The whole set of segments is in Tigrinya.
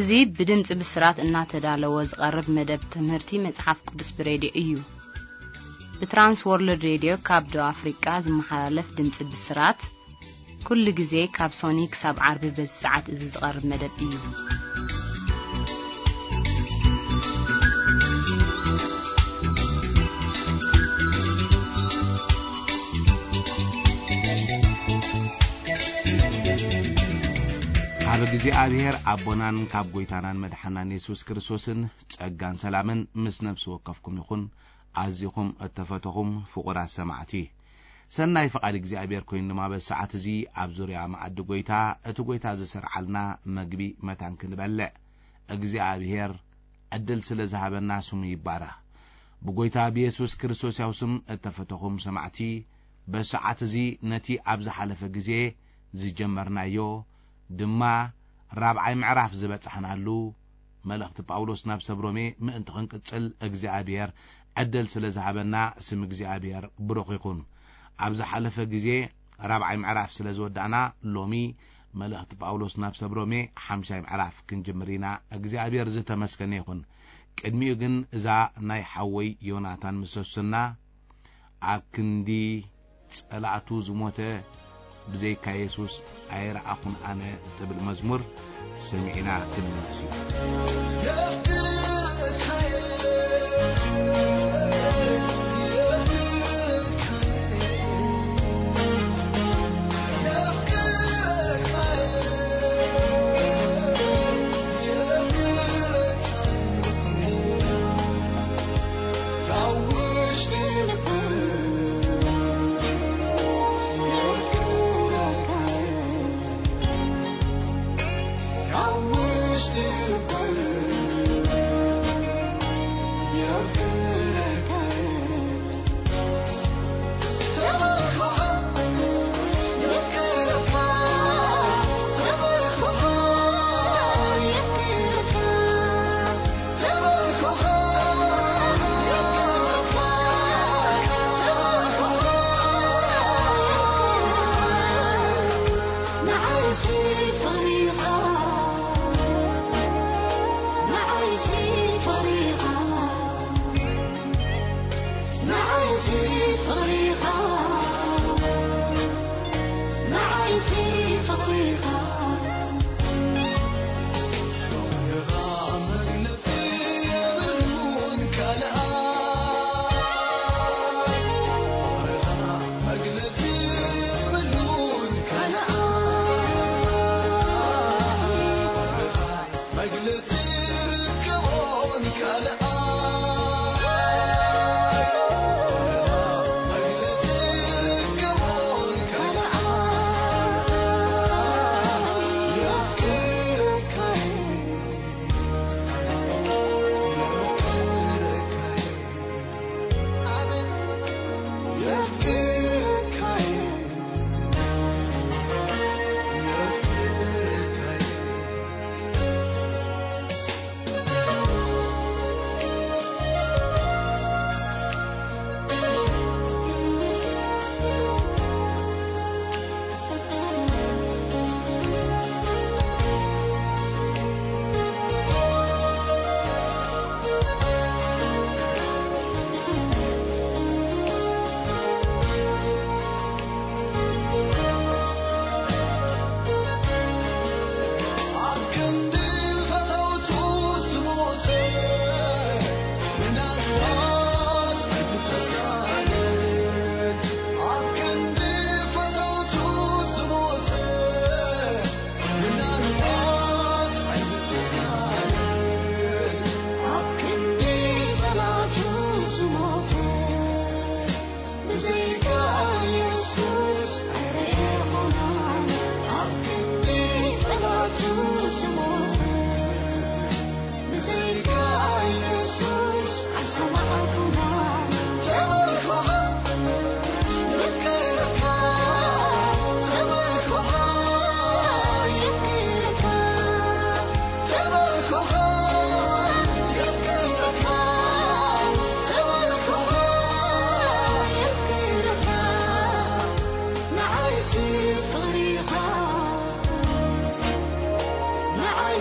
እዚ ብድምጺ ብስራት እናተዳለወ ዝቐርብ መደብ ትምህርቲ መጽሓፍ ቅዱስ ብሬድዮ እዩ። ብትራንስ ወርልድ ሬድዮ ካብ ደቡብ ኣፍሪቃ ዝመሓላለፍ ድምጺ ብስራት፣ ኩሉ ግዜ ካብ ሶኒ ክሳብ ዓርቢ በዚ ሰዓት እዚ ዝቐርብ መደብ እዩ። ካብ እግዚኣብሔር ኣቦናን ካብ ጐይታናን መድሓናን የሱስ ክርስቶስን ጸጋን ሰላምን ምስ ነፍሲ ወከፍኩም ይኹን። ኣዚኹም እተፈተኹም ፍቑራት ሰማዕቲ፣ ሰናይ ፍቓድ እግዚኣብሔር ኮይኑ ድማ በዚ ሰዓት እዚ ኣብ ዙርያ መኣዲ ጐይታ፣ እቲ ጐይታ ዝሰርዓልና መግቢ መታን ክንበልዕ እግዚኣብሔር ዕድል ስለ ዝሃበና ስሙ ይባረኽ። ብጐይታ ብየሱስ ክርስቶስ ያው ስም እተፈተኹም ሰማዕቲ፣ በዚ ሰዓት እዚ ነቲ ኣብ ዝሓለፈ ግዜ ዝጀመርናዮ ድማ ራብዓይ ምዕራፍ ዝበጻሕናሉ መልእኽቲ ጳውሎስ ናብ ሰብ ሮሜ ምእንቲ ክንቅጽል እግዚኣብሔር ዕድል ስለ ዝሃበና ስም እግዚኣብሔር ብሩኽ ይኹን። ኣብ ዝሓለፈ ግዜ ራብዓይ ምዕራፍ ስለ ዝወዳእና ሎሚ መልእኽቲ ጳውሎስ ናብ ሰብ ሮሜ ሓምሻይ ምዕራፍ ክንጅምር ኢና። እግዚኣብሔር ዝተመስገነ ይኹን። ቅድሚኡ ግን እዛ ናይ ሓወይ ዮናታን ምሰሱና ኣብ ክንዲ ጸላእቱ ዝሞተ ብዘይካ የሱስ ኣይረኣኹን ኣነ ትብል መዝሙር ሰሚዕና ክንምለስ ኢና።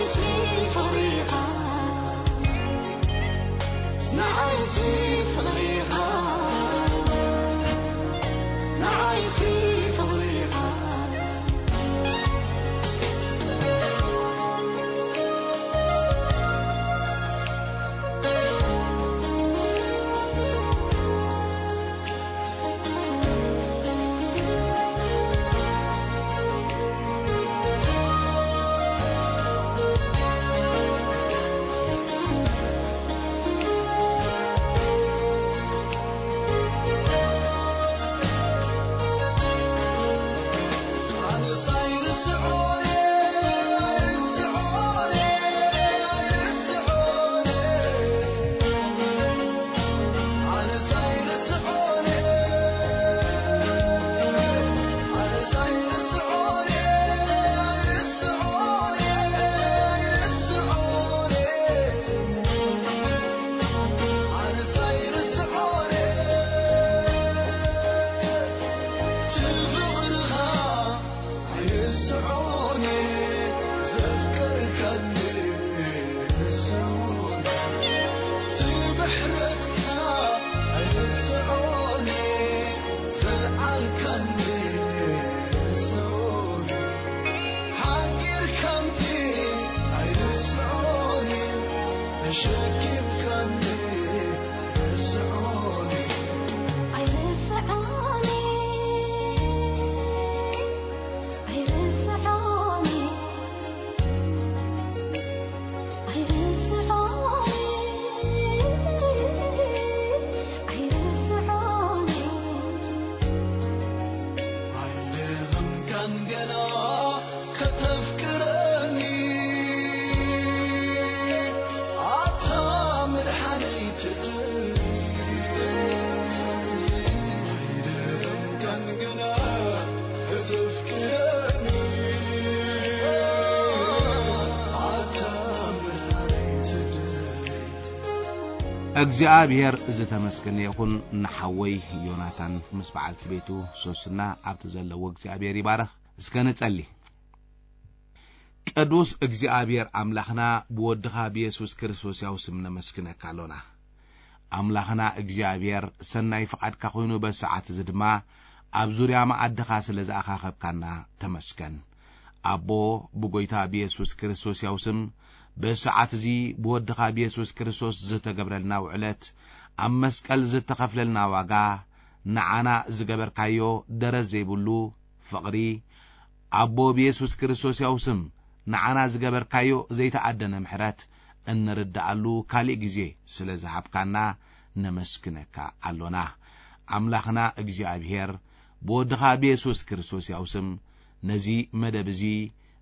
ፍቕሪኻ፣ ንዓይሲ ፍቕሪኻ፣ ንዓይሲ ፍቕሪኻ። እግዚኣብሔር ዝተመስገነ ይኹን። ንሓወይ ዮናታን ምስ በዓልቲ ቤቱ ሶስና ኣብቲ ዘለዎ እግዚኣብሔር ይባረኽ። እስከ ንጸሊ። ቅዱስ እግዚኣብሔር ኣምላኽና፣ ብወድኻ ብየሱስ ክርስቶስ ያው ስም ነመስግነካ ኣሎና። ኣምላኽና እግዚኣብሔር፣ ሰናይ ፍቓድካ ኮይኑ በዚ ሰዓት እዚ ድማ ኣብ ዙርያ መኣድኻ ስለ ዝኣኻኸብካና ተመስገን። ኣቦ፣ ብጎይታ ብየሱስ ክርስቶስ ያው ስም በዚ ሰዓት እዚ ብወድኻ ብየሱስ ክርስቶስ ዝተገብረልና ውዕለት፣ ኣብ መስቀል ዝተኸፍለልና ዋጋ፣ ንዓና ዝገበርካዮ ደረት ዘይብሉ ፍቕሪ፣ ኣቦ ብየሱስ ክርስቶስ ያው ስም ንዓና ዝገበርካዮ ዘይተኣደነ ምሕረት እንርድኣሉ ካሊእ ግዜ ስለ ዝሃብካና ነመስግነካ ኣሎና። ኣምላኽና እግዚኣብሔር፣ ብወድኻ ብየሱስ ክርስቶስ ያው ስም ነዚ መደብ እዚ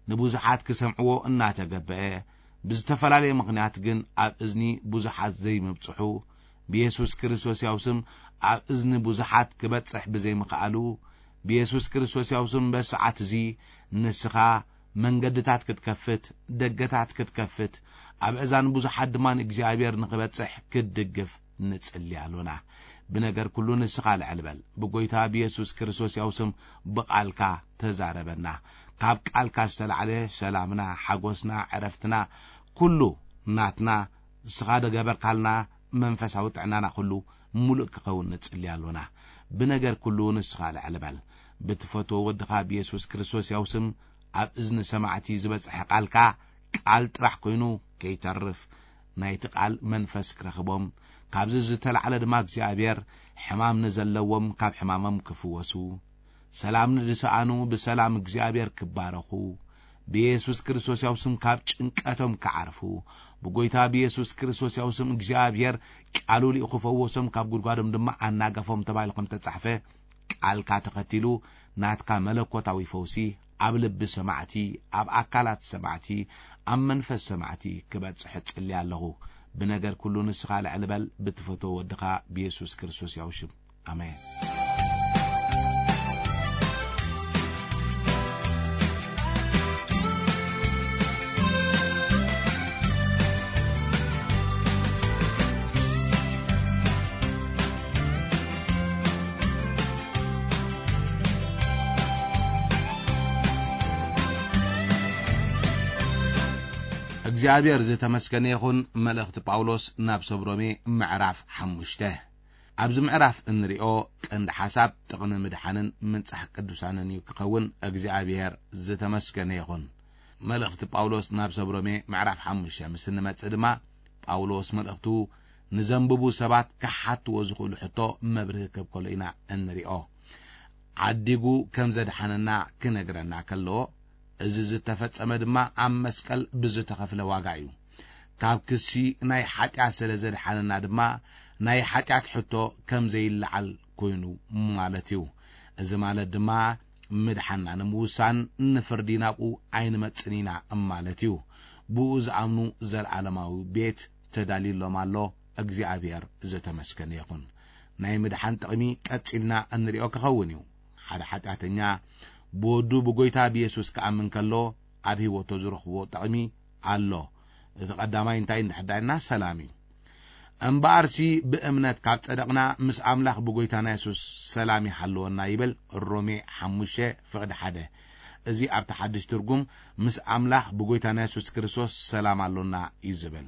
ንብዙሓት ክሰምዕዎ እናተገበአ፣ ብዝተፈላለየ ምኽንያት ግን ኣብ እዝኒ ብዙሓት ዘይምብጽሑ፣ ብየሱስ ክርስቶስ ያው ስም ኣብ እዝኒ ብዙሓት ክበጽሕ ብዘይምኽኣሉ፣ ብየሱስ ክርስቶስ ያው ስም በሰዓት እዚ ንስኻ መንገድታት ክትከፍት፣ ደገታት ክትከፍት፣ ኣብ እዛን ብዙሓት ድማ ንእግዚኣብሔር ንኽበጽሕ ክትድግፍ ንጽሊ ኣሎና። ብነገር ኩሉ ንስኻ ልዕል በል። ብጎይታ ብየሱስ ክርስቶስ ያው ስም ብቓልካ ተዛረበና። ካብ ቃልካ ዝተላዕለ ሰላምና፣ ሓጎስና፣ ዕረፍትና፣ ኩሉ ናትና፣ ንስኻ ደገበርካልና መንፈሳዊ ጥዕናና ኩሉ ሙሉእ ክኸውን ንጽሊ ኣሎና። ብነገር ኩሉ ንስኻ ልዕል በል። ብትፈትዎ ወድኻ ብየሱስ ክርስቶስ ያው ስም ኣብ እዝኒ ሰማዕቲ ዝበጽሐ ቃልካ ቃል ጥራሕ ኮይኑ ከይተርፍ፣ ናይቲ ቃል መንፈስ ክረኽቦም፣ ካብዚ ዝተላዕለ ድማ እግዚኣብሔር ሕማም ንዘለዎም ካብ ሕማሞም ክፍወሱ፣ ሰላም ንዝሰኣኑ ብሰላም እግዚኣብሔር ክባረኹ፣ ብየሱስ ክርስቶስ ያው ስም ካብ ጭንቀቶም ክዓርፉ፣ ብጎይታ ብየሱስ ክርስቶስ ያው ስም እግዚኣብሔር ቃሉ ልኢኹ ክፈወሶም፣ ካብ ጉድጓዶም ድማ ኣናገፎም ተባሂሉ ከም ተጻሕፈ፣ ቃልካ ተኸቲሉ ናትካ መለኮታዊ ፈውሲ ኣብ ልቢ ሰማዕቲ፣ ኣብ ኣካላት ሰማዕቲ፣ ኣብ መንፈስ ሰማዕቲ ክበጽሕ እጽሊ ኣለኹ። ብነገር ኩሉ ንስኻ ልዕል በል፣ ብትፈትዎ ወድኻ ብየሱስ ክርስቶስ ያው ሽም። ኣሜን። እግዚኣብሔር ዝተመስገነ ይኹን። መልእኽቲ ጳውሎስ ናብ ሰብ ሮሜ ምዕራፍ ሓሙሽተ። ኣብዚ ምዕራፍ እንሪኦ ቀንዲ ሓሳብ ጥቕሚ ምድሓንን ምንጻሕ ቅዱሳንን እዩ ክኸውን። እግዚኣብሔር ዝተመስገነ ይኹን። መልእኽቲ ጳውሎስ ናብ ሰብ ሮሜ ምዕራፍ ሓሙሽተ ምስ እንመጽእ ድማ፣ ጳውሎስ መልእኽቱ ንዘንብቡ ሰባት ክሓትዎ ዝኽእሉ ሕቶ መብርሂ ክህብ ከሎ ኢና እንሪኦ። ዓዲጉ ከም ዘድሓነና ክነግረና ከሎ፣ እዚ ዝተፈጸመ ድማ ኣብ መስቀል ብዝተኸፍለ ዋጋ እዩ። ካብ ክሲ ናይ ሓጢኣት ስለ ዘድሓነና ድማ፣ ናይ ሓጢኣት ሕቶ ከም ዘይለዓል ኮይኑ ማለት እዩ። እዚ ማለት ድማ፣ ምድሓንና ንምውሳን ንፍርዲ ናብኡ ኣይንመጽን ኢና ማለት እዩ። ብኡ ዝኣምኑ ዘለዓለማዊ ቤት ተዳልዩሎም ኣሎ። እግዚኣብሔር ዝተመስገነ ይኹን። ናይ ምድሓን ጥቕሚ ቀጺልና እንሪኦ ክኸውን እዩ። ሓደ ሓጢኣተኛ ብወዱ ብጎይታ ብየሱስ ክኣምን ከሎ፣ ኣብ ህይወቱ ዝረኽቦ ጥቕሚ ኣሎ። እቲ ቀዳማይ እንታይ እንድሕር ዳይና ሰላም እዩ። እምበኣርሲ ብእምነት ካብ ጸደቕና፣ ምስ ኣምላኽ ብጎይታና የሱስ ሰላም ይሃልወና ይብል ሮሜ ሓሙሽተ ፍቕዲ ሓደ። እዚ ኣብቲ ሓድሽ ትርጉም፣ ምስ ኣምላኽ ብጎይታና የሱስ ክርስቶስ ሰላም ኣሎና እዩ ዝብል።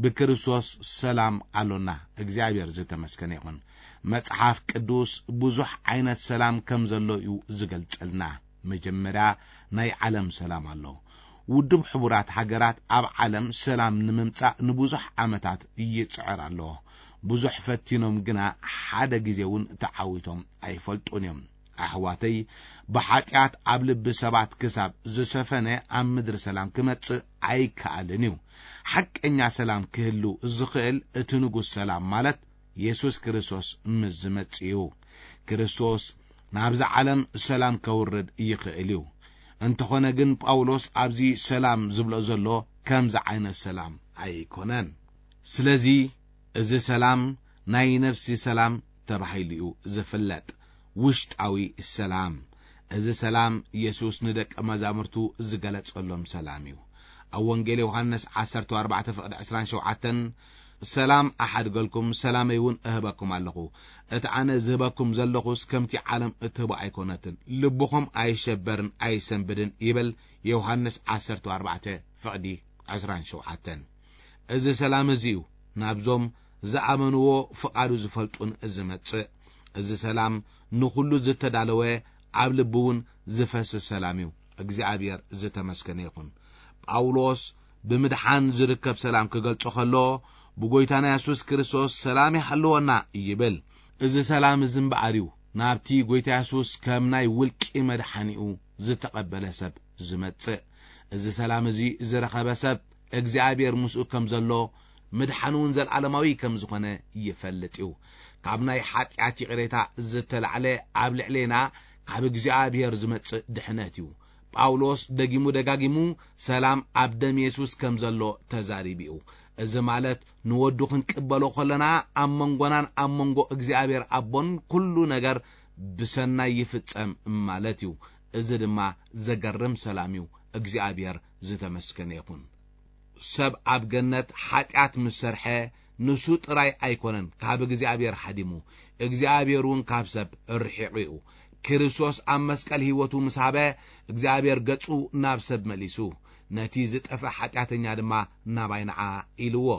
ብክርስቶስ ሰላም ኣሎና። እግዚኣብሔር ዝተመስገነ ይኹን። መጽሓፍ ቅዱስ ብዙሕ ዓይነት ሰላም ከም ዘሎ እዩ ዝገልጸልና። መጀመርያ ናይ ዓለም ሰላም ኣሎ። ውድብ ሕቡራት ሃገራት ኣብ ዓለም ሰላም ንምምጻእ ንብዙሕ ዓመታት ይጽዕር ኣሎ። ብዙሕ ፈቲኖም ግና ሓደ ግዜ እውን ተዓዊቶም ኣይፈልጡን እዮም። ኣሕዋተይ፣ ብሓጢኣት ኣብ ልቢ ሰባት ክሳብ ዝሰፈነ ኣብ ምድሪ ሰላም ክመጽእ ኣይከኣልን እዩ። ሓቀኛ ሰላም ክህሉ ዝኽእል እቲ ንጉስ ሰላም ማለት የሱስ ክርስቶስ ምስ ዝመጽእ እዩ። ክርስቶስ ናብዛ ዓለም ሰላም ከውርድ ይኽእል እዩ። እንተኾነ ግን ጳውሎስ ኣብዚ ሰላም ዝብሎ ዘሎ ከምዚ ዓይነት ሰላም ኣይኮነን። ስለዚ እዚ ሰላም ናይ ነፍሲ ሰላም ተባሂሉ እዩ ዝፍለጥ። ውሽጣዊ ሰላም። እዚ ሰላም የሱስ ንደቀ መዛሙርቱ ዝገለጸሎም ሰላም እዩ። ኣብ ወንጌል ዮሃንስ ዓሰርተ ኣርባዕተ ፍቕዲ ዕስራን ሸውዓተን፣ "ሰላም ኣሓድገልኩም፣ ሰላመይ እውን እህበኩም ኣለኹ። እቲ ኣነ ዝህበኩም ዘለኹስ ከምቲ ዓለም እትህቦ ኣይኮነትን። ልብኹም ኣይሸበርን ኣይሰንብድን" ይብል። ዮሃንስ ዓሰርተ ኣርባዕተ ፍቕዲ ዕስራን ሸውዓተን። እዚ ሰላም እዚ እዩ ናብዞም ዝኣመንዎ ፍቓዱ ዝፈልጡን ዝመጽእ። እዚ ሰላም ንኹሉ ዝተዳለወ፣ ኣብ ልቢ እውን ዝፈስስ ሰላም እዩ። እግዚኣብሔር ዝተመስገነ ይኹን። ጳውሎስ ብምድሓን ዝርከብ ሰላም ክገልጾ ከሎ፣ "ብጎይታና የሱስ ክርስቶስ ሰላም ይሃልወና" ይብል። እዚ ሰላም እዚ እምበኣር እዩ ናብቲ ጎይታ የሱስ ከም ናይ ውልቂ መድሓኒኡ ዝተቐበለ ሰብ ዝመጽእ። እዚ ሰላም እዚ ዝረኸበ ሰብ እግዚኣብሔር ምስኡ ከም ዘሎ፣ ምድሓኑ እውን ዘለዓለማዊ ከም ዝኾነ ይፈልጥ እዩ። ካብ ናይ ሓጢኣት ይቕሬታ ዝተላዕለ ኣብ ልዕሌና ካብ እግዚኣብሔር ዝመጽእ ድሕነት እዩ። ጳውሎስ ደጊሙ ደጋጊሙ ሰላም ኣብ ደም የሱስ ከም ዘሎ ተዛሪቡ እዩ። እዚ ማለት ንወዱ ክንቅበሎ ከለና ኣብ መንጎናን ኣብ መንጎ እግዚኣብሔር ኣቦን ኩሉ ነገር ብሰናይ ይፍጸም ማለት እዩ። እዚ ድማ ዘገርም ሰላም እዩ። እግዚኣብሔር ዝተመስገነ ይኹን። ሰብ ኣብ ገነት ሓጢኣት ምስ ሰርሐ፣ ንሱ ጥራይ ኣይኮነን ካብ እግዚኣብሔር ሓዲሙ፣ እግዚኣብሔር እውን ካብ ሰብ ርሒቑ እዩ። ክርስቶስ ኣብ መስቀል ህይወቱ ምስ ሃበ፣ እግዚኣብሔር ገጹ ናብ ሰብ መሊሱ፣ ነቲ ዝጠፍአ ሓጢኣተኛ ድማ ናባይ ንዓ ኢልዎ።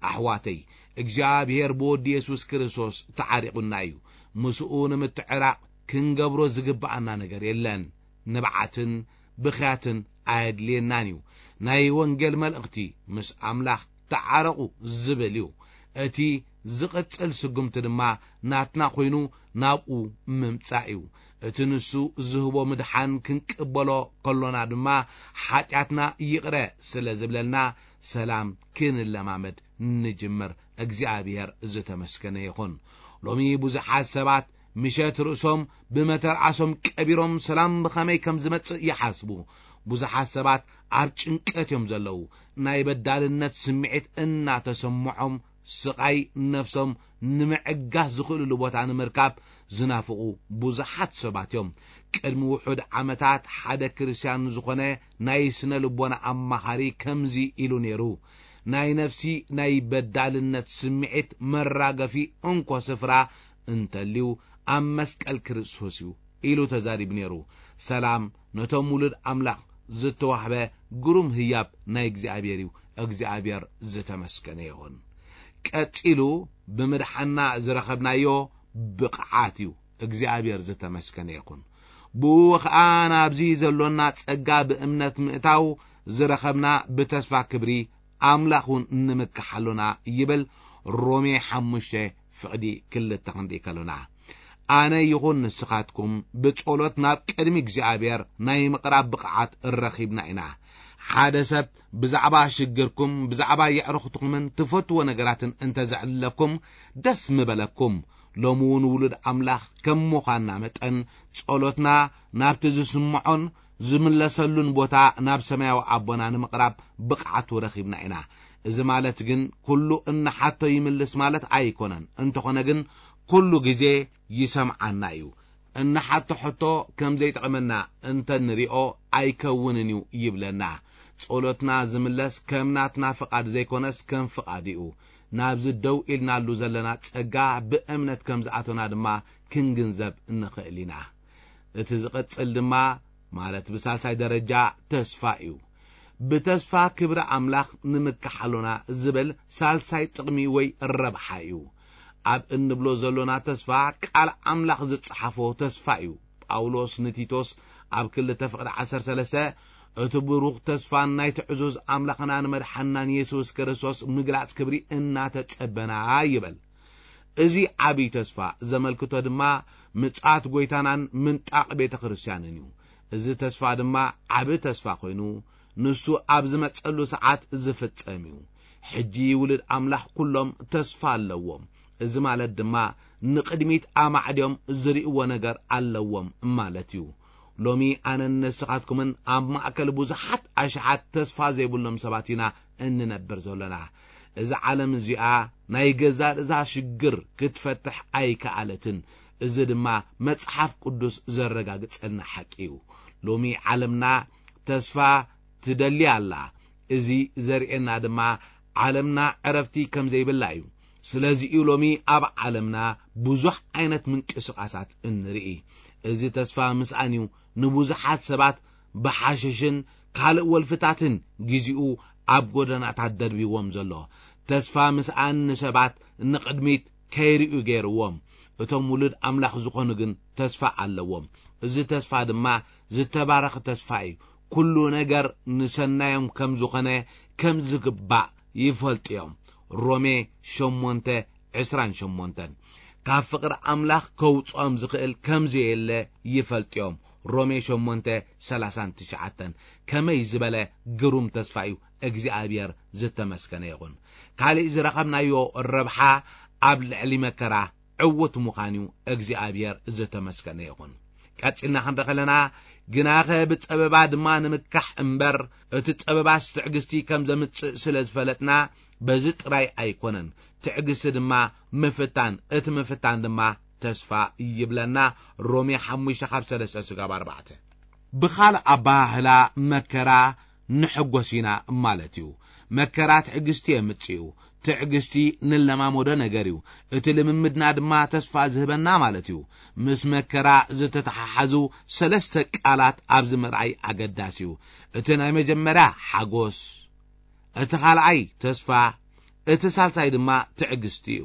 ኣሕዋተይ፣ እግዚኣብሔር ብወዲ የሱስ ክርስቶስ ተዓሪቑና እዩ። ምስኡ ንምትዕራቕ ክንገብሮ ዝግብኣና ነገር የለን። ንብዓትን ብኽያትን ኣየድልየናን እዩ። ናይ ወንጌል መልእኽቲ ምስ ኣምላኽ ተዓረቑ ዝብል እዩ። እቲ ዝቕጽል ስጉምቲ ድማ ናትና ኮይኑ ናብኡ ምምጻእ እዩ። እቲ ንሱ ዝህቦ ምድሓን ክንቅበሎ ከሎና ድማ ሓጢኣትና ይቕረ ስለ ዝብለልና ሰላም ክንለማመድ ንጅምር። እግዚኣብሔር ዝተመስገነ ይኹን። ሎሚ ብዙሓት ሰባት ምሸት ርእሶም ብመተርዓሶም ቀቢሮም ሰላም ብኸመይ ከም ዝመጽእ ይሓስቡ። ብዙሓት ሰባት ኣብ ጭንቀት እዮም ዘለዉ። ናይ በዳልነት ስምዒት እናተሰምዖም ስቓይ ነፍሶም ንምዕጋስ ዝኽእልሉ ቦታ ንምርካብ ዝናፍቑ ብዙሓት ሰባት እዮም። ቅድሚ ውሑድ ዓመታት ሓደ ክርስትያን ዝኾነ ናይ ስነ ልቦና ኣማኻሪ ከምዚ ኢሉ ነይሩ፣ "ናይ ነፍሲ ናይ በዳልነት ስምዒት መራገፊ እንኮ ስፍራ እንተልዩ ኣብ መስቀል ክርስቶስ እዩ" ኢሉ ተዛሪቡ ነይሩ። ሰላም ነቶም ውሉድ ኣምላኽ ዝተዋህበ ግሩም ህያብ ናይ እግዚኣብሔር እዩ። እግዚኣብሔር ዝተመስገነ ይኹን። ቀጺሉ ብምድሓና ዝረኸብናዮ ብቕዓት እዩ። እግዚኣብሔር ዝተመስገነ ይኹን። ብኡ ኸኣ ናብዚ ዘሎና ጸጋ ብእምነት ምእታው ዝረኸብና ብተስፋ ክብሪ ኣምላኽ እውን ንምክሓሉና ይብል። ሮሜ ሓሙሽተ ፍቕዲ ክልተ ክንርኢ ከሎና፣ ኣነ ይኹን ንስኻትኩም ብጸሎት ናብ ቅድሚ እግዚኣብሔር ናይ ምቕራብ ብቕዓት ረኺብና ኢና። ሓደ ሰብ ብዛዕባ ሽግርኩም፣ ብዛዕባ የዕሩኽትኩምን ትፈትዎ ነገራትን እንተ ዘዕልለኩም ደስ ምበለኩም። ሎሚ እውን ውሉድ ኣምላኽ ከም ምዃንና መጠን ጸሎትና ናብቲ ዝስምዖን ዝምለሰሉን ቦታ ናብ ሰማያዊ ኣቦና ንምቕራብ ብቕዓቱ ረኺብና ኢና። እዚ ማለት ግን ኩሉ እንሓቶ ይምልስ ማለት ኣይኮነን። እንተኾነ ግን ኩሉ ግዜ ይሰምዓና እዩ። እንሓቶ ሕቶ ከም ዘይጠቕመና እንተ ንሪኦ ኣይከውንን እዩ ይብለና። ጸሎትና ዝምለስ ከም ናትና ፍቓድ ዘይኮነስ ከም ፍቓድ እዩ። ናብዚ ደው ኢልናሉ ዘለና ጸጋ ብእምነት ከም ዝኣቶና ድማ ክንግንዘብ ንኽእል ኢና። እቲ ዝቕጽል ድማ ማለት ብሳልሳይ ደረጃ ተስፋ እዩ። ብተስፋ ክብሪ ኣምላኽ ንምክሓሎና ዝብል ሳልሳይ ጥቕሚ ወይ ረብሓ እዩ። ኣብ እንብሎ ዘሎና ተስፋ ቃል ኣምላኽ ዝጸሓፎ ተስፋ እዩ። ጳውሎስ ንቲቶስ ኣብ ክልተ ፍቕዲ ዓሰርተ ሰለስተ እቲ ብሩኽ ተስፋን ናይ ትዕዙዝ ኣምላኽና ንመድሓንናን የሱስ ክርስቶስ ምግላጽ ክብሪ እናተጸበና ይበል። እዚ ዓብዪ ተስፋ ዘመልክቶ ድማ ምጽኣት ጐይታናን ምንጣቕ ቤተ ክርስቲያንን እዩ። እዚ ተስፋ ድማ ዓቢ ተስፋ ኮይኑ ንሱ ኣብ ዝመጸሉ ሰዓት ዝፍጸም እዩ። ሕጂ ውሉድ ኣምላኽ ኩሎም ተስፋ ኣለዎም። እዚ ማለት ድማ ንቕድሚት ኣማዕድዮም ዝርእይዎ ነገር ኣለዎም ማለት እዩ። ሎሚ ኣነን ንስኻትኩምን ኣብ ማእከል ብዙሓት ኣሽሓት ተስፋ ዘይብሎም ሰባት ኢና እንነብር ዘሎና። እዛ ዓለም እዚኣ ናይ ገዛእ ርእሳ ሽግር ክትፈትሕ ኣይከኣለትን። እዚ ድማ መጽሓፍ ቅዱስ ዘረጋግጸልና ሓቂ እዩ። ሎሚ ዓለምና ተስፋ ትደሊ ኣላ። እዚ ዘርእየና ድማ ዓለምና ዕረፍቲ ከም ዘይብላ እዩ። ስለዚ እዩ ሎሚ ኣብ ዓለምና ብዙሕ ዓይነት ምንቅስቓሳት እንርኢ። እዚ ተስፋ ምስኣን እዩ ንብዙሓት ሰባት ብሓሽሽን ካልእ ወልፍታትን ግዜኡ ኣብ ጎደናታት ደርቢዎም ዘሎ። ተስፋ ምስኣን ንሰባት ንቕድሚት ከይርእዩ ገይርዎም። እቶም ውሉድ ኣምላኽ ዝኾኑ ግን ተስፋ ኣለዎም። እዚ ተስፋ ድማ ዝተባረኸ ተስፋ እዩ። ኩሉ ነገር ንሰናዮም ከም ዝኾነ ከም ዝግባእ ይፈልጡ እዮም። ሮሜ ሸሞንተ ዕስራን ሸሞንተን። ካብ ፍቕሪ ኣምላኽ ከውጽኦም ዝኽእል ከም ዘየለ ይፈልጡ እዮም። ሮሜ ሸሞንተ ሰላሳን ትሽዓተን። ከመይ ዝበለ ግሩም ተስፋ እዩ! እግዚኣብሔር ዝተመስገነ ይኹን። ካልእ ዝረኸብናዮ ረብሓ ኣብ ልዕሊ መከራ ዕዉት ምዃን እዩ። እግዚኣብሔር ዝተመስገነ ይኹን። ቀጺልና ክንርኢ ከለና፣ ግናኸ ብጸበባ ድማ ንምካሕ እምበር፣ እቲ ጸበባስ ትዕግስቲ ከም ዘምጽእ ስለ ዝፈለጥና፣ በዚ ጥራይ ኣይኮነን። ትዕግስቲ ድማ ምፍታን፣ እቲ ምፍታን ድማ ተስፋ ይብለና። ሮሜ ሓሙሽተ ካብ ሰለስተ ስጋብ ኣርባዕተ። ብኻልእ ኣበሃህላ መከራ ንሕጎስ ኢና ማለት እዩ። መከራ ትዕግስቲ የምጽእ እዩ። ትዕግስቲ ንለማመዶ ነገር እዩ። እቲ ልምምድና ድማ ተስፋ ዝህበና ማለት እዩ። ምስ መከራ ዝተተሓሓዙ ሰለስተ ቃላት ኣብዚ ምርኣይ ኣገዳሲ እዩ። እቲ ናይ መጀመርያ ሓጎስ፣ እቲ ካልኣይ ተስፋ፣ እቲ ሳልሳይ ድማ ትዕግስቲ እዩ።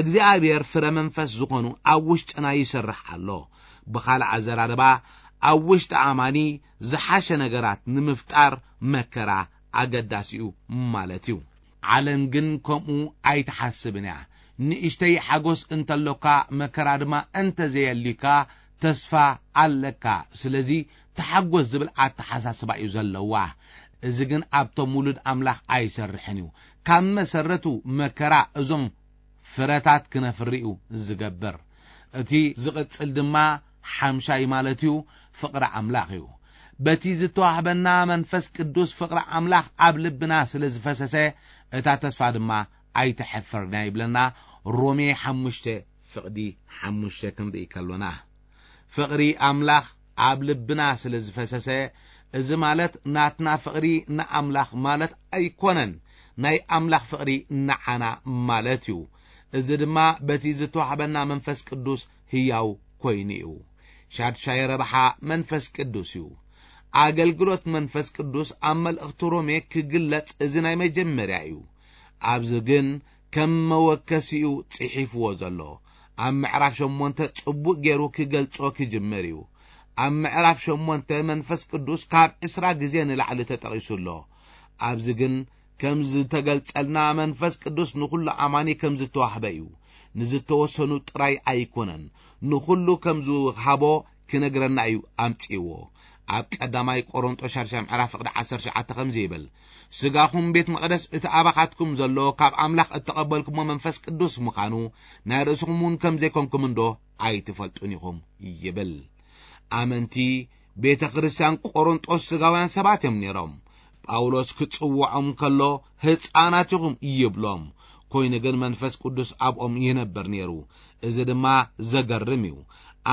እግዚኣብሔር ፍረ መንፈስ ዝኾኑ ኣብ ውሽጥና ይሰርሕ ኣሎ። ብኻልእ ኣዘራርባ፣ ኣብ ውሽጢ ኣማኒ ዝሓሸ ነገራት ንምፍጣር መከራ ኣገዳሲ እዩ ማለት እዩ። ዓለም ግን ከምኡ ኣይትሓስብን እያ። ንእሽተይ ሓጎስ እንተሎካ፣ መከራ ድማ እንተዘየልዩካ፣ ተስፋ ኣለካ። ስለዚ ተሓጎስ ዝብል ኣተሓሳስባ እዩ ዘለዋ። እዚ ግን ኣብቶም ውሉድ ኣምላኽ ኣይሰርሕን እዩ። ካብ መሰረቱ መከራ እዞም ፍረታት ክነፍሪ እዩ ዝገብር። እቲ ዝቕጽል ድማ ሓምሻይ ማለት እዩ፣ ፍቕሪ ኣምላኽ እዩ። በቲ ዝተዋህበና መንፈስ ቅዱስ ፍቕሪ ኣምላኽ ኣብ ልብና ስለ ዝፈሰሰ፣ እታ ተስፋ ድማ ኣይተሐፈርና ይብለና። ሮሜ ሓሙሽተ ፍቕዲ ሓሙሽተ ክንርኢ ከሎና፣ ፍቕሪ ኣምላኽ ኣብ ልብና ስለ ዝፈሰሰ፣ እዚ ማለት ናትና ፍቕሪ ንኣምላኽ ማለት ኣይኮነን፣ ናይ ኣምላኽ ፍቕሪ ንዓና ማለት እዩ። እዚ ድማ በቲ ዝተዋህበና መንፈስ ቅዱስ ህያው ኮይኑ እዩ። ሻድሻይ ረብሓ መንፈስ ቅዱስ እዩ። ኣገልግሎት መንፈስ ቅዱስ ኣብ መልእኽቲ ሮሜ ክግለጽ እዚ ናይ መጀመርያ እዩ። ኣብዚ ግን ከም መወከሲኡ ጽሒፍዎ ዘሎ። ኣብ ምዕራፍ ሸሞንተ ጽቡቕ ገይሩ ክገልጾ ክጅምር እዩ። ኣብ ምዕራፍ ሸሞንተ መንፈስ ቅዱስ ካብ ዕስራ ግዜ ንላዕሊ ተጠቒሱ ኣሎ። ኣብዚ ግን ከም ዝተገልጸልና መንፈስ ቅዱስ ንኹሉ ኣማኒ ከም ዝተዋህበ እዩ። ንዝተወሰኑ ጥራይ ኣይኮነን፣ ንኹሉ ከም ዝሃቦ ክነግረና እዩ ኣምጺእዎ። ኣብ ቀዳማይ ቆሮንጦስ ሻድሻይ ምዕራፍ ፍቕዲ ዓሰርተ ትሽዓተ ከምዚ ይብል፣ ስጋኹም ቤት መቕደስ እቲ ኣባኻትኩም ዘሎ ካብ ኣምላኽ እተቐበልኩሞ መንፈስ ቅዱስ ምዃኑ ናይ ርእስኹም እውን ከም ዘይኮንኩም እንዶ ኣይትፈልጡን ኢኹም ይብል። ኣመንቲ ቤተ ክርስቲያን ቆሮንጦስ ስጋውያን ሰባት እዮም ነይሮም። ጳውሎስ ክጽውዖም ከሎ ህፃናት ኢኹም ይብሎም። ኮይኑ ግን መንፈስ ቅዱስ ኣብኦም ይነብር ነይሩ። እዚ ድማ ዘገርም እዩ።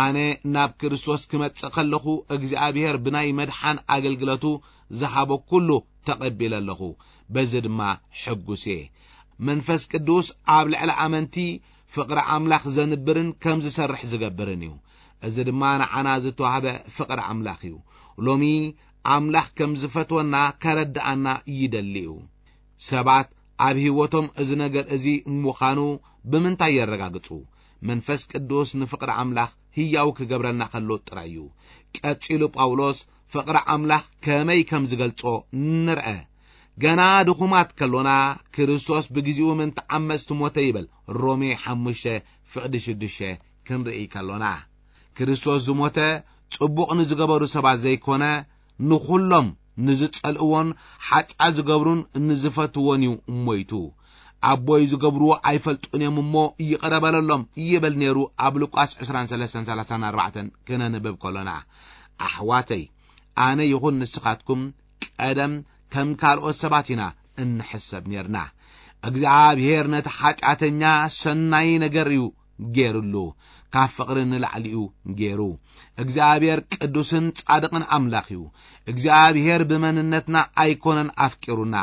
ኣነ ናብ ክርስቶስ ክመጽእ ከለኹ እግዚኣብሔር ብናይ መድሓን ኣገልግለቱ ዝሃቦ ኩሉ ተቐቢለ ኣለኹ። በዚ ድማ ሕጉስ እየ። መንፈስ ቅዱስ ኣብ ልዕሊ ኣመንቲ ፍቕሪ ኣምላኽ ዘንብርን ከም ዝሰርሕ ዝገብርን እዩ። እዚ ድማ ንዓና ዝተዋህበ ፍቕሪ ኣምላኽ እዩ። ሎሚ ኣምላኽ ከም ዝፈትወና ከረድኣና ይደሊ እዩ። ሰባት ኣብ ህይወቶም እዚ ነገር እዚ ምዃኑ ብምንታይ የረጋግጹ? መንፈስ ቅዱስ ንፍቕሪ ኣምላኽ ህያው ክገብረልና ከሎ ጥራይ እዩ። ቀጺሉ ጳውሎስ ፍቕሪ ኣምላኽ ከመይ ከም ዝገልጾ ንርአ። ገና ድኹማት ከሎና ክርስቶስ ብግዚኡ ምእንቲ ዓመጽቲ ሞተ ይብል። ሮሜ ሓሙሽተ ፍቕዲ ሽዱሽተ ክንርኢ ከሎና፣ ክርስቶስ ዝሞተ ጽቡቕ ንዝገበሩ ሰባት ዘይኮነ፣ ንኹሎም ንዝጸልእዎን ሓጢኣት ዝገብሩን ንዝፈትዎን እዩ ሞይቱ። ኣቦይ ዝገብርዎ ኣይፈልጡን እዮም እሞ ይቕረ በለሎም ይብል ነይሩ። ኣብ ሉቃስ ዕስራን ሰለስተን ሰላሳን ኣርባዕተን ክነንብብ ከሎና፣ ኣሕዋተይ፣ ኣነ ይኹን ንስኻትኩም ቀደም ከም ካልኦት ሰባት ኢና እንሕሰብ ነርና። እግዚኣብሔር ነቲ ሓጢኣተኛ ሰናይ ነገር እዩ ገይሩሉ፣ ካብ ፍቕሪ ንላዕሊ እዩ ገይሩ። እግዚኣብሔር ቅዱስን ጻድቕን ኣምላኽ እዩ። እግዚኣብሔር ብመንነትና ኣይኮነን ኣፍቂሩና።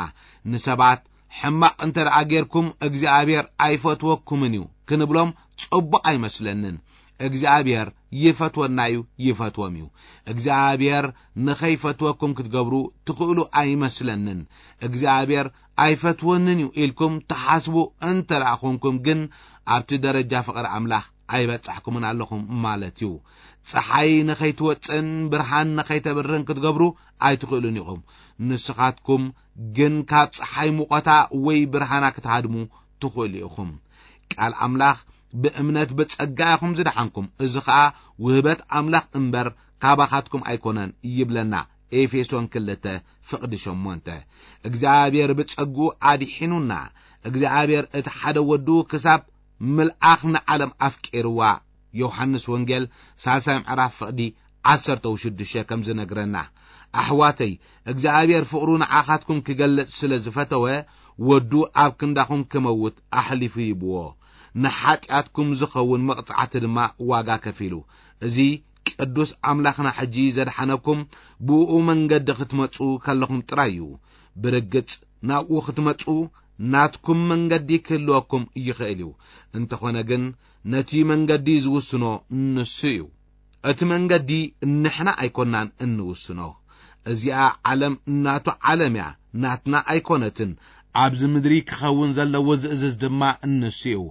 ንሰባት ሕማቕ እንተ ደኣ ጌርኩም እግዚኣብሔር ኣይፈትወኩምን እዩ ክንብሎም ጽቡቕ ኣይመስለንን። እግዚኣብሔር ይፈትወና እዩ፣ ይፈትዎም እዩ። እግዚኣብሔር ንኸይፈትወኩም ክትገብሩ ትኽእሉ ኣይመስለንን። እግዚኣብሔር ኣይፈትወንን እዩ ኢልኩም ትሓስቡ እንተ ደኣ ኾንኩም ግን ኣብቲ ደረጃ ፍቕሪ ኣምላኽ ኣይበጻሕኩምን ኣለኹም ማለት እዩ። ጸሓይ ንኸይትወጽእን ብርሃን ንኸይተብርህን ክትገብሩ ኣይትኽእሉን ኢኹም። ንስኻትኩም ግን ካብ ጸሓይ ሙቐታ ወይ ብርሃና ክትሃድሙ ትኽእሉ ኢኹም። ቃል ኣምላኽ ብእምነት ብጸጋ ኢኹም ዝደሓንኩም፣ እዚ ኸኣ ውህበት ኣምላኽ እምበር ካባኻትኩም ኣይኮነን ይብለና ኤፌሶን ክልተ ፍቕዲ ሸሞንተ። እግዚኣብሔር ብጸግኡ ኣድሒኑና። እግዚኣብሔር እቲ ሓደ ወዱ ክሳብ ምልኣኽ ንዓለም ኣፍቂርዋ ዮሃንስ ወንጌል ሳልሳይ ምዕራፍ ፍቕዲ ዓሰርተ ሽዱሽተ ከም ዝነግረና፣ ኣሕዋተይ፣ እግዚኣብሔር ፍቕሩ ንዓኻትኩም ክገልጽ ስለ ዝፈተወ፣ ወዱ ኣብ ክንዳኹም ክመውት ኣሕሊፉ ይብዎ። ንሓጢኣትኩም ዝኸውን መቕጻዕቲ ድማ ዋጋ ከፊሉ። እዚ ቅዱስ ኣምላኽና ሕጂ ዘድሓነኩም ብእኡ መንገዲ ክትመጹ ከለኹም ጥራይ እዩ። ብርግጽ ናብኡ ክትመጹ ናትኩም መንገዲ ክህልወኩም ይኽእል እዩ። እንተኾነ ግን ነቲ መንገዲ ዝውስኖ ንሱ እዩ። እቲ መንገዲ ንሕና ኣይኮናን እንውስኖ። እዚኣ ዓለም ናቱ ዓለም እያ፣ ናትና ኣይኮነትን። ኣብዚ ምድሪ ክኸውን ዘለዎ ዝእዝዝ ድማ ንሱ እዩ።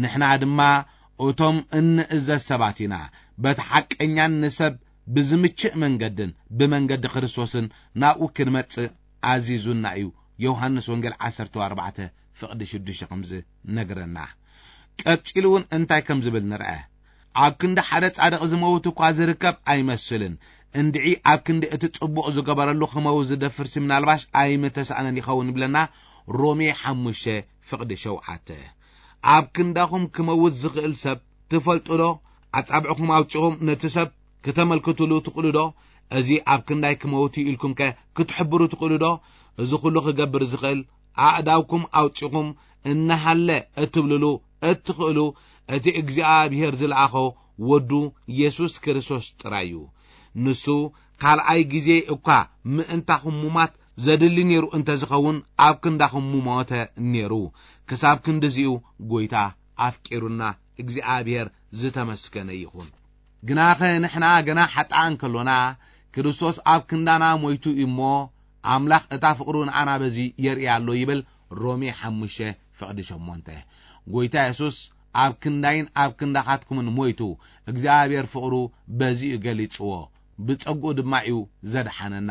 ንሕና ድማ እቶም እንእዘዝ ሰባት ኢና። በቲ ሓቀኛን ንሰብ ብዝምችእ መንገድን ብመንገዲ ክርስቶስን ናብኡ ክንመጽእ ኣዚዙና እዩ። ዮሃንስ ወንጌል ዓሰርተ ኣርባዕተ ፍቕዲ ሽዱሽተ ከም ዝነግረና። ቀጺሉ እውን እንታይ ከም ዝብል ንርአ። ኣብ ክንዲ ሓደ ጻድቕ ዝመውት እኳ ዝርከብ ኣይመስልን። እንድዒ ኣብ ክንዲ እቲ ጽቡቕ ዝገበረሉ ክመውት ዝደፍርሲ ምናልባሽ ኣይምተሳእነን ይኸውን ይብለና ሮሜ ሓሙሽተ ፍቕዲ ሸውዓተ። ኣብ ክንዳኹም ክመውት ዝኽእል ሰብ ትፈልጡ ዶ? ኣጻብዕኹም ኣውጺኹም ነቲ ሰብ ክተመልክትሉ ትኽእሉ ዶ? እዚ ኣብ ክንዳይ ክመውት እዩ ኢልኩም ከ ክትሕብሩ ትኽእሉ ዶ? እዚ ኩሉ ክገብር ዝኽእል ኣእዳውኩም ኣውጺኹም እናሃለ እትብልሉ እትኽእሉ እቲ እግዚኣብሔር ዝለኣኾ ወዱ የሱስ ክርስቶስ ጥራይ እዩ። ንሱ ካልኣይ ግዜ እኳ ምእንታኹም ሙማት ዘድሊ ነይሩ እንተ ዝኸውን ኣብ ክንዳኹም ምሞተ ነይሩ። ክሳብ ክንድዚኡ ጐይታ ኣፍቂሩና እግዚኣብሔር ዝተመስገነ ይኹን። ግናኸ ንሕና ገና ሓጥኣን ከሎና ክርስቶስ ኣብ ክንዳና ሞይቱ እዩ እሞ፣ ኣምላኽ እታ ፍቕሩ ንኣና በዚ የርኢ ኣሎ ይብል ሮሜ ሓሙሽተ ፍቕዲ ሸሞንተ። ጎይታ የሱስ ኣብ ክንዳይን ኣብ ክንዳኻትኩምን ሞይቱ፣ እግዚኣብሔር ፍቕሩ በዚ እዩ ገሊጽዎ። ብጸግኡ ድማ እዩ ዘድሓነና።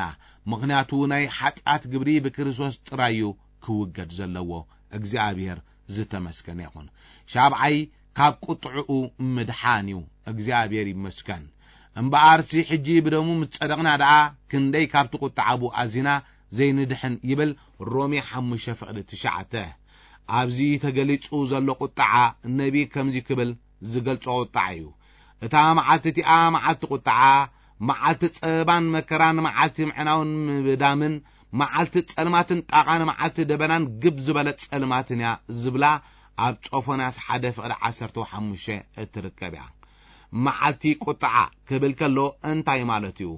ምኽንያቱ ናይ ሓጢኣት ግብሪ ብክርስቶስ ጥራይ እዩ ክውገድ ዘለዎ። እግዚኣብሔር ዝተመስገነ ይኹን። ሻብዓይ ካብ ቁጥዕኡ ምድሓን እዩ። እግዚኣብሔር ይመስገን። እምበኣርሲ ሕጂ ብደሙ ምስ ጸደቕና ደኣ ክንደይ ካብቲ ቁጥዓ ብኡ ኣዚና ዘይንድሕን ይብል ሮሜ ሓሙሽተ ፍቕዲ ትሽዓተ። ኣብዚ ተገሊጹ ዘሎ ቁጥዓ ነቢ ከምዚ ክብል ዝገልጾ ቁጥዓ እዩ። እታ መዓልቲ እቲኣ መዓልቲ ቁጥዓ፣ መዓልቲ ጸበባን መከራን፣ መዓልቲ ምዕናውን ምብዳምን፣ መዓልቲ ጸልማትን ጣቓን፣ መዓልቲ ደበናን ግብ ዝበለ ጸልማትን እያ ዝብላ ኣብ ጾፎንያስ ሓደ ፍቕዲ ዓሰርተ ሓሙሽተ እትርከብ እያ። መዓልቲ ቁጥዓ ክብል ከሎ እንታይ ማለት እዩ?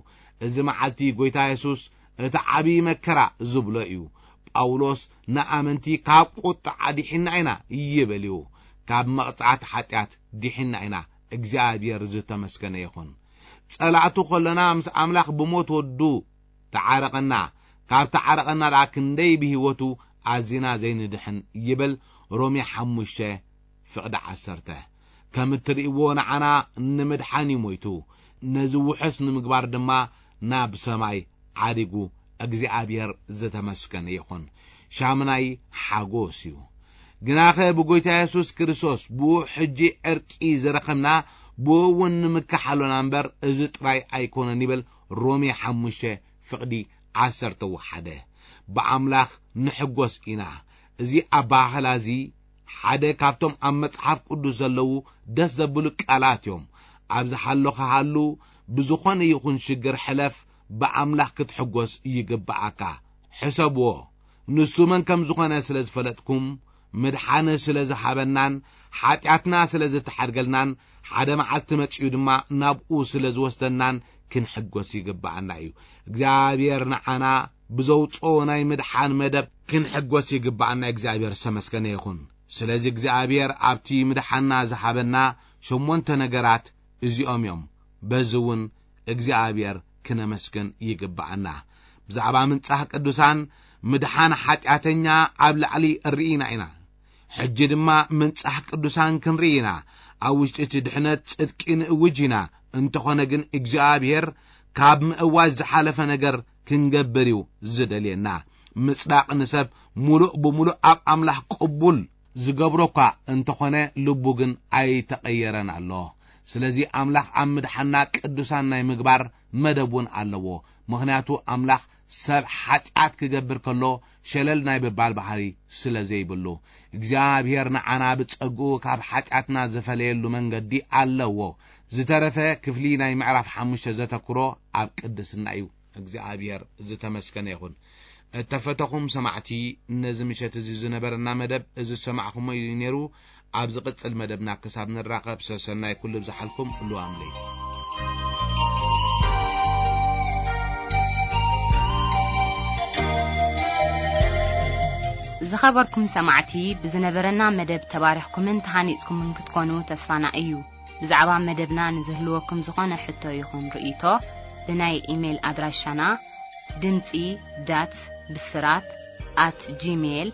እዚ መዓልቲ ጎይታ የሱስ እቲ ዓብዪ መከራ ዝብሎ እዩ። ጳውሎስ ንኣመንቲ ካብ ቁጥዓ ዲሒና ኢና ይብል እዩ። ካብ መቕጻዕቲ ሓጢኣት ዲሒና ኢና። እግዚኣብሔር ዝተመስገነ ይኹን። ጸላእቱ ከለና ምስ ኣምላኽ ብሞት ወዱ ተዓረቐና። ካብ ተዓረቐና ደኣ ክንደይ ብህይወቱ ኣዚና ዘይንድሕን ይብል ሮሜ ሓሙሽተ ፍቕዲ ዓሰርተ። ከም እትርእይዎ ንዓና ንምድሓን እዩ ሞይቱ። ነዚ ውሑስ ንምግባር ድማ ናብ ሰማይ ዓሪጉ። እግዚኣብሔር ዝተመስገነ ይኹን። ሻምናይ ሓጎስ እዩ። ግናኸ ብጎይታ የሱስ ክርስቶስ ብኡ ሕጂ ዕርቂ ዝረኸብና፣ ብኡ እውን ንምካሕ ኣሎና እምበር፣ እዚ ጥራይ ኣይኮነን ይብል ሮሜ ሓሙሽተ ፍቕዲ ዓሰርተ ወሓደ። ብኣምላኽ ንሕጎስ ኢና። እዚ ኣባህላ እዚ ሓደ ካብቶም ኣብ መጽሓፍ ቅዱስ ዘለዉ ደስ ዘብሉ ቃላት እዮም። ኣብ ዝሃለኻ ሃሉ፣ ብዝኾነ ይኹን ሽግር ሕለፍ፣ ብኣምላኽ ክትሕጎስ ይግብኣካ። ሕሰብዎ፣ ንሱ መን ከም ዝኾነ ስለ ዝፈለጥኩም፣ ምድሓን ስለ ዝሃበናን ሓጢኣትና ስለ ዝተሓድገልናን፣ ሓደ መዓልቲ መጺኡ ድማ ናብኡ ስለ ዝወስደናን ክንሕጎስ ይግብኣና እዩ። እግዚኣብሔር ንዓና ብዘውጽኦ ናይ ምድሓን መደብ ክንሕጎስ ይግብኣና። እግዚኣብሔር ዝተመስገነ ይኹን። ስለዚ እግዚኣብሔር ኣብቲ ምድሓንና ዝሃበና ሸሞንተ ነገራት እዚኦም እዮም። በዚ እውን እግዚኣብሔር ክነመስግን ይግብኣና። ብዛዕባ ምንጻህ ቅዱሳን ምድሓን ሓጢኣተኛ ኣብ ላዕሊ ርኢና ኢና። ሕጂ ድማ ምንጻህ ቅዱሳን ክንርኢ ኢና። ኣብ ውሽጢ እቲ ድሕነት ጽድቂ ንእውጅ ኢና። እንተኾነ ግን እግዚኣብሔር ካብ ምእዋጅ ዝሓለፈ ነገር ክንገብር እዩ ዝደልየና። ምጽዳቕ ንሰብ ሙሉእ ብሙሉእ ኣብ ኣምላኽ ቅቡል ዝገብሮ እኳ እንተኾነ፣ ልቡ ግን ኣይተቐየረን ኣሎ። ስለዚ ኣምላኽ ኣብ ምድሓና ቅዱሳን ናይ ምግባር መደብ እውን ኣለዎ። ምኽንያቱ ኣምላኽ ሰብ ሓጢኣት ክገብር ከሎ ሸለል ናይ ምባል ባህሪ ስለ ዘይብሉ፣ እግዚኣብሔር ንዓና ብጸግኡ ካብ ሓጢኣትና ዝፈለየሉ መንገዲ ኣለዎ። ዝተረፈ ክፍሊ ናይ ምዕራፍ ሓሙሽተ ዘተኩሮ ኣብ ቅድስና እዩ። እግዚኣብሔር ዝተመስገነ ይኹን። እተፈተኹም ሰማዕቲ፣ ነዚ ምሸት እዚ ዝነበረና መደብ እዚ ዝሰማዕኹሞ እዩ ነይሩ። ኣብ ዝቕጽል መደብና ክሳብ ንራኸብ፣ ሰሰናይ ኩሉ ብዝሓልኩም። ልዋም ለይቲ። ዝኸበርኩም ሰማዕቲ፣ ብዝነበረና መደብ ተባሪኽኩምን ተሃኒጽኩምን ክትኮኑ ተስፋና እዩ። ብዛዕባ መደብና ንዝህልወኩም ዝኾነ ሕቶ ይኹን ርእይቶ፣ ብናይ ኢሜይል ኣድራሻና ድምጺ ዳት ብስራት ኣት ጂሜይል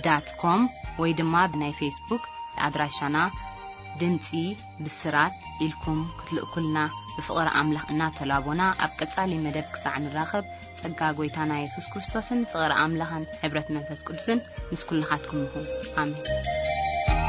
ዳት ኮም ወይ ድማ ብናይ ፌስቡክ ኣድራሻና ድምጺ ብስራት ኢልኩም ክትልእኩልና ብፍቕሪ ኣምላኽ እናተላቦና፣ ኣብ ቀጻሊ መደብ ክሳዕ ንራኸብ፣ ጸጋ ጐይታና የሱስ ክርስቶስን ፍቕሪ ኣምላኽን ሕብረት መንፈስ ቅዱስን ምስ ኩልኻትኩም ይኹን። ኣሜን።